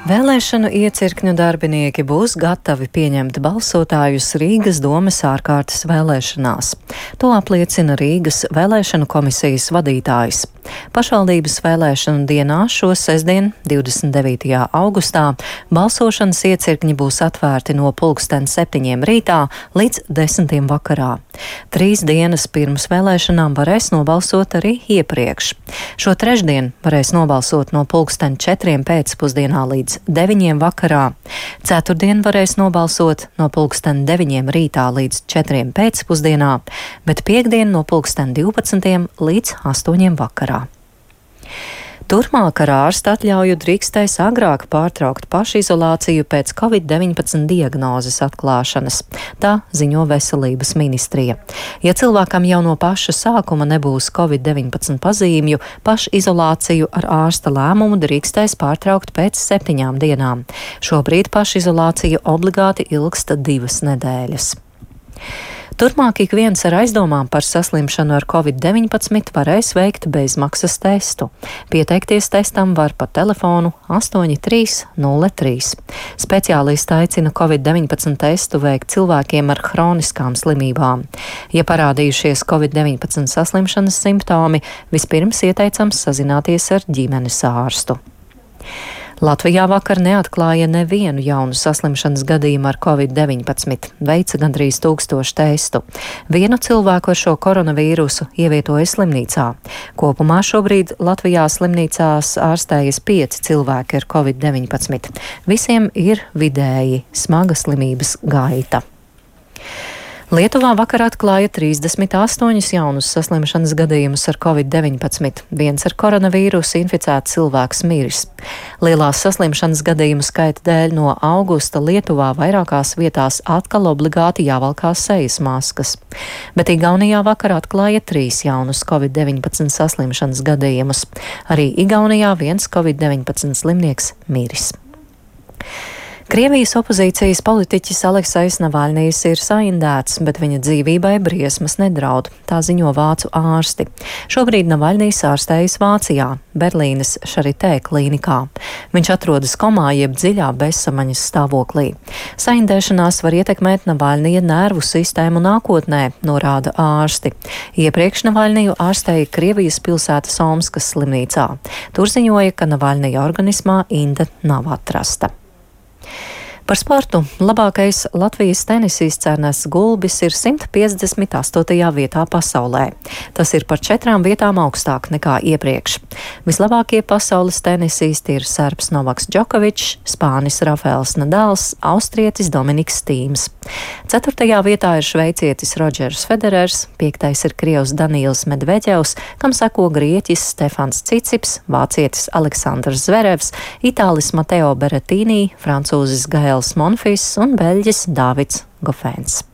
Vēlēšanu iecirkņu darbinieki būs gatavi pieņemt balsotājus Rīgas domes ārkārtas vēlēšanās. To apliecina Rīgas vēlēšanu komisijas vadītājs. Pašvaldības vēlēšanu dienā šo sestdien, 29. augustā, balsošanas iecirkņi būs atvērti no 7:00 rītā līdz 10:00 vakarā. 3 dienas pirms vēlēšanām varēs nobalsot arī iepriekš. Šo trešdien varēs nobalsot no 4:00 pēcpusdienā līdz 9:00 vakarā. Ceturtdien varēs nobalsot no 9:00 rītā līdz 4:00 pēcpusdienā, bet piekdien no 12:00 līdz 8:00 vakarā. Turpmāk ar ārsta atļauju drīkstēs agrāk pārtraukt pašizolāciju pēc Covid-19 diagnozes atklāšanas. Tā ziņo Veselības ministrija. Ja cilvēkam jau no paša sākuma nebūs Covid-19 pazīmju, pašizolāciju ar ārsta lēmumu drīkstēs pārtraukt pēc 7 dienām. Šobrīd pašizolācija obligāti ilgsta 2 nedēļas. Turpmāk ik viens ar aizdomām par saslimšanu ar Covid-19 varēs veikt bezmaksas testu. Pieteikties testam var pa telefonu 8303. Speciālisti aicina Covid-19 testu veikt cilvēkiem ar hroniskām slimībām. Ja parādījušies Covid-19 saslimšanas simptomi, vispirms ieteicams sazināties ar ģimenes ārstu. Latvijā vakar neatklāja nevienu jaunu saslimšanas gadījumu ar Covid-19, veica gandrīz 1000 testu. Vienu cilvēku ar šo koronavīrusu ievietoja slimnīcā. Kopumā šobrīd Latvijā slimnīcās ārstējas 5 cilvēki ar Covid-19. Visiem ir vidēji smaga slimības gaita. Lietuvā vakar atklāja 38 jaunus saslimšanas gadījumus ar Covid-19. Viens ar koronavīrusu inficēts cilvēks miris. Lielās saslimšanas gadījumu skaita dēļ no augusta Lietuvā vairākās vietās atkal obligāti jāvalkās sejas maskas. Bet Igaunijā vakar atklāja 3 jaunus Covid-19 saslimšanas gadījumus. Arī Igaunijā viens Covid-19 slimnieks miris. Krievijas opozīcijas politiķis Aleksejs Navaļnijs ir saindēts, bet viņa dzīvībai briesmas nedraud, tā ziņo vācu ārsti. Šobrīd Navaļnijs ārstējas Vācijā, Berlīnes Charité klīnikā. Viņš atrodas komā jeb dziļā bezsamaņas stāvoklī. Saindēšanās var ietekmēt Navaļnija nervu sistēmu nākotnē, norāda ārsti. Iepriekš Navaļniju ārstēja Krievijas pilsētas Omskas slimnīcā. Tur ziņoja, ka Navaļnija organismā inde nav atrasta. Par sportu labākais Latvijas tenisists Ernests Gulbis ir 158. vietā pasaulē. Tas ir par 4 vietām augstāk nekā iepriekš. Vislabākie pasaules tenisisti ir serbs Novaks Džokovičs, spānis Rafaels Nadals, austrietis Dominiks Tīms. 4. vietā ir šveicietis Rodžers Federers, 5. ir krievs Danīls Medveģevs, kam seko grieķis Stefans Cicips, vācietis Aleksandrs Zverevs, itālis Mateo Beretīnī, francūzis Gaels Monfils un beļģis Dāvids Gofēns.